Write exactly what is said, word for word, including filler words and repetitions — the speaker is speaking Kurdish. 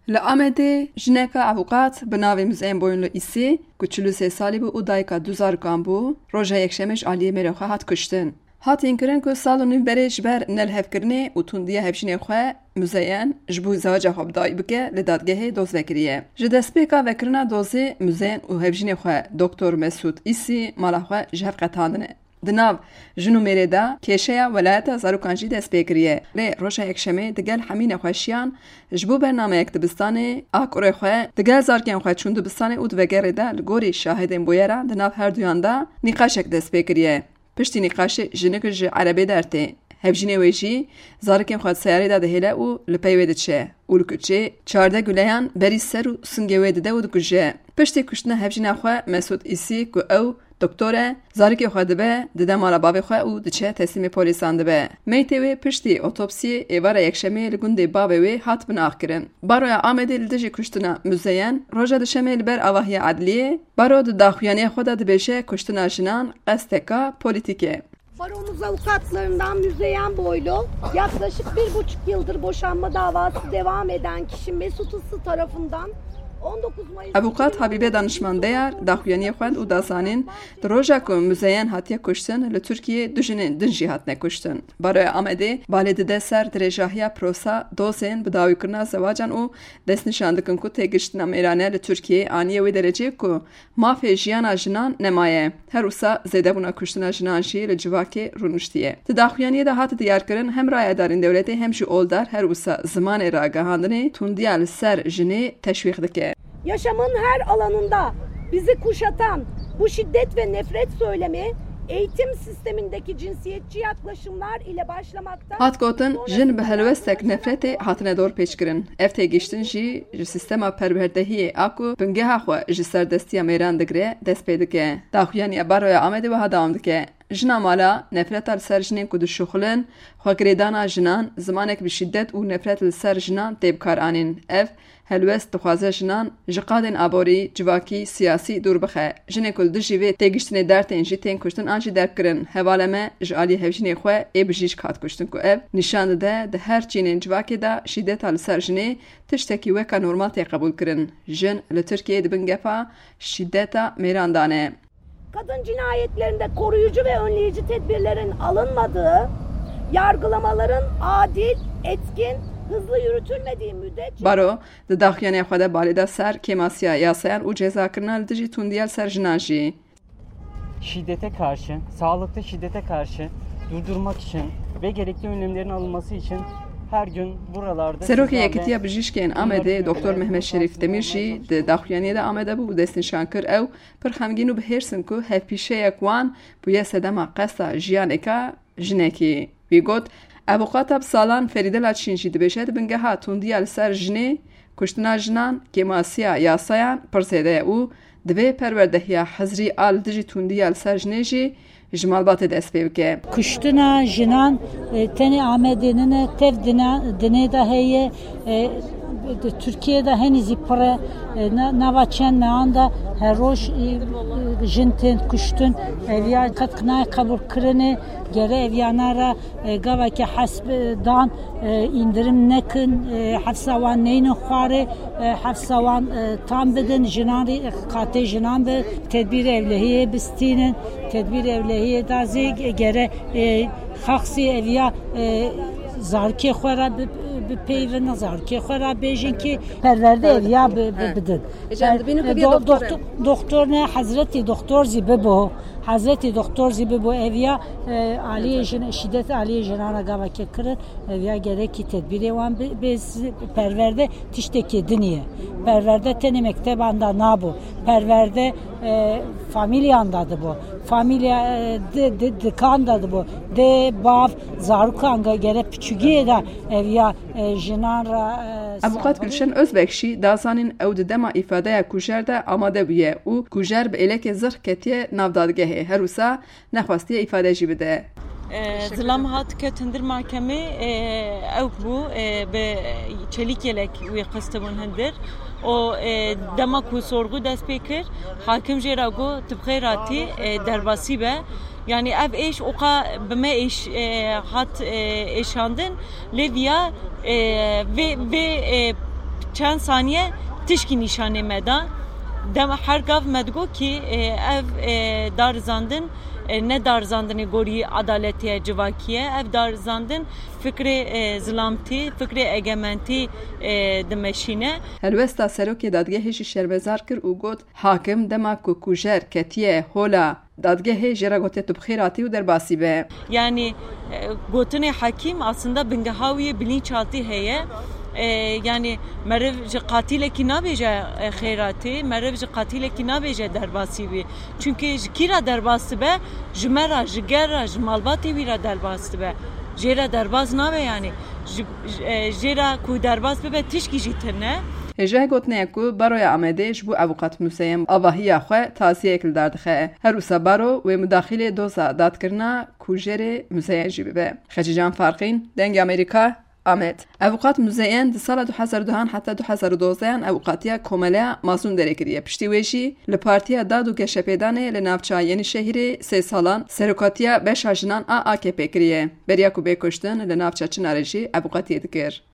Li Amedê jineka avûkat bi navê Muzeyyen Boyunlu Îsî, ku çil û sê salî bû û dayika du zarokan bû, roja Yekşemê ji aliyê mêrê xwe hat kuştin. Hat hînkirin ku sal û nîv berê ji ber nelihevkirinê û tundiya hevjînê xwe Muzeyyen ji bo zewaca xwe bi dawî bike li dadgehê doz vekiriye. Ji destpêka vekirina dozê Muzeyyen û hevjînê xwe Doktor Mesûd Îsî mala xwe ji hev qetandine. Di nav jin û mêrê de kêşeya welayeta zarokan jî dest pê kiriye. Lê roja Yekşemê digel hemî nexweşiyan ji bo bernameyek dibistanê a kurê xwe digel zarokên xwe çûn dibistanê û di vegerê de li gorî şahidên bûyeran di nav herduyan de nîqaşek dest pê kiriye. Piştî nîqaşê jinik ji erebê dertê. Hevjînê wê jî zarokên xwe di seyarê de dihêle û li pey wê diçe û li kuçê çardeh guleyan berî ser û singê wê dide û dikuje. Piştî kuştina hevjîna xwe Mesûd Îsî ku ew doktor e, zarokê xwe dibe, dide mala bavê xwe û diçe teslîmê polîsan dibe. Meytê wê piştî otopsiyê êvara Yekşemê li gundê bavê wê hat binaxkirin. Baroya Amedê li dijî kuştina Muzeyyen roja Duşemê li ber avahiya edliyê, baro di daxuyaniya xwe de dibêje kuştina jinan qesteka polîtîk e. Baromuz avukatlarından Müzeyyen Boylu, yaklaşık bir buçuk yıldır boşanma davası devam eden kişi Mesut Islı tarafından on dokuz Mayıs Avûqat Habîbe Danişman Deyar daxuyaniyê xwend û da zanîn, di roja ku Muzeyyen hatiye kuştin, li Tirkiyê du jinên din jî hatine kuştin. Baroya Amedê balê dide ser dirêjahiya prosa dozên bi dawîkirina zewacan û destnîşan dikin ku têgiştina mêrane li Tirkiyeyê aniye wê dereceyê ku mafê jiyana jinan nemaye. Her wisa zêdebûna kuştina jinan jî li civakê rûniştiye. Di daxuyaniyê de hat diyarkirin, hem rayedarên dewletê hem jî oldar her wisa zimanê ragihandinê tundiya li ser jinê teşwîq dike. Yaşamın her alanında bizi kuşatan bu şiddet ve nefret söylemi eğitim sistemindeki cinsiyetçi yaklaşımlar ile başlamakta. Hat gotin, jin bi helwestek nefretê hatine dorpêçkirin. Ev têgiştin jî ji sîstema perwerdehiyê a ku bingeha xwe ji serdestiya mêran digire, dest pê dike. Daxuyaniya Baroya Amedê wiha dewam dike. Jina mala, nefreta li ser jinên ku dişuxulin, xwegirêdana jinan, zimanek bi şîdet û nefret li ser jinan tê bikaranîn. Ev helwest dixwaze jinan ji qadên aborî, civakî, siyasî dûr bixe. Jinê ku li dijî vê têgiştinê dertên jî tên kuştin an jî derbkirin. Hevalê me ji aliyê hevjînê xwe ê bijîşk hat kuştin ku ev nîşan dide di her çînên civakê de şîdeta li ser jinê tiştekî weka normal tê qebûlkirin. Jin li Tirkiyeyê di bin gefa şîdeta mêran de ne. Kadın cinayetlerinde koruyucu ve önleyici tedbirlerin alınmadığı, yargılamaların adil, etkin, hızlı yürütülmediği müddetçe Baro di daxuyaniya xwe de balê da ser kêmasiya yasayan û cezakirina li dijî tundiya li ser jinan jî. Şiddete karşı, sağlıklı şiddete karşı durdurmak için ve gerekli önlemlerin alınması için her gün buralarda Serokê sizlerle Yekîtiya Bijîşkên Amedê, Doktor Mehmet Şerîf Demîr jî di daxuyaniyê de amade bû û destnîşan kir, ew pir xemgîn û bi hêrs in ku hevpîşeyek wan bûye sedema qesta jiyanêka jinekî. Wî got, Avûqata bi salan Ferîde Laçîn jî dibêje, di bingeha tundiya li ser jinê, kuştina jinan, kêmasiya yasayan pir zêde ye û divê perwerdehiya hizrî a li dijî tundiya li ser jinê jî ji malbatê dest pê bike. Kuştina jinan, e, tenê Amedê nine, tev dina-, dinê de heye, e, di Tirkiyê de henî zî pir e. E, na-, nava çend mehan de her roj, e, e, jin tên kuştin. Ev ya qet nayê qebûlkirinê, gere ev yana re, e, gaveke hesp, e, dan, e, indirim nekin, e, hefsa wan neynin xwarê, e, hefsa wan, e, tam bidin, jinan rê, e, qatê jinan bi tedbîr ewlehiyê bistînin, tedbîr ewlehiyê da zê ge-, gere, e, xaxsî eviya, e, zarkê xwe re bi, bi peyvin, zarkê xwe re bêjin ki perwerde eviya bi, bi, bidin. Ecem, dibînin ku E, bî do-, doktor e. Doktor, doktor ne, hezretî doktor zî bibo, hezretî doktor zî bibo eviya, e, aliyê jin, şîdet aliyê jinan re gaveke kirin. Ev ya gerekî tedbîrê wan bi, bi z-, perwerde tiştekî din ye. Perwerde tenê mekteban de nabo. Perwerde, e, famîlyan de dibo. Famîlya, e, di, di, dikan de dibo. Dê, bav, zarokan ge-, gere piçûgiyê de ev ya, e, jinan re, e, Avûqat Gülşen Özbek jî da zanîn ew di dema îfadeya kujer de amade bûye û kujer bi êlekê zirh ketiye nav dadgehê. Her wisa nexwestiye îfade jî bide. E, zilam hat ket hindir mahkemê, e, ew bû, e, bi çelîk yelek wî qistibûn hindir. O, e, dema ku sorgu dest pê kir, hakim jê re got, "Tu bi xêr hatî, e, derbasî be." Yani ev êş oqa bi me êş, e, hat, e, êşandin. Lê viya, e, vê, vê, e, Çend saniye tişkî nîşanê me da. Dema her gav me digot kî, e, ev, e, darizandin, e, ne darizandinê gorî edaletê ye, civakî ye. Ev darizandin fikrê, e, zilamtî, fikrê egementî, e, dimeşîne. Helwesta serokê dadgehê jî şermezar kir û got, hakim dema ku kujer ketiye hola dadgehê jê re gotiye tu bi xêr hatî û derbasî be. Yanî, e, gotinê hekîm aslında bingeha wî yê bilinçaltî heye. E, yanî meriv ji qatilekî nabêje, e, xêr hatî, meriv ji qatilekî nabêje derbasî bî. Çunkî ji kî re derbas dibe? Ji me re, ji ger re, ji malbatê wî re derbas dibe. Jê re derbas nabe yanî. Ji, ji, e, jê re ku derbas bibe tişkî jî tune. Hêjayê gotinê ye ku Baroya Amedê ji bo Avûkat Muzeyen avahiya xwe taziyeyek li dar dixe. Her wisa Baro wê mudaxîlê doza dadkirina kujerê Muzeyen jî bibe. Xecîcan Farqîn, Dengê Amerîka, Amed. Avûkat Muzeyen di sala du hezar û duhan heta du hezar û dozdehan avûkatiya Komeleya Mazlûm Derê kiriye. Piştî wê jî li Partiya Dad û Geşepêdanê li navça Yenîşehîrê sê salan serokatiya beşa jinan a A K P kiriye. Beriya ku bê kuştin li navça Çinarê jî avûkatiyê dikir.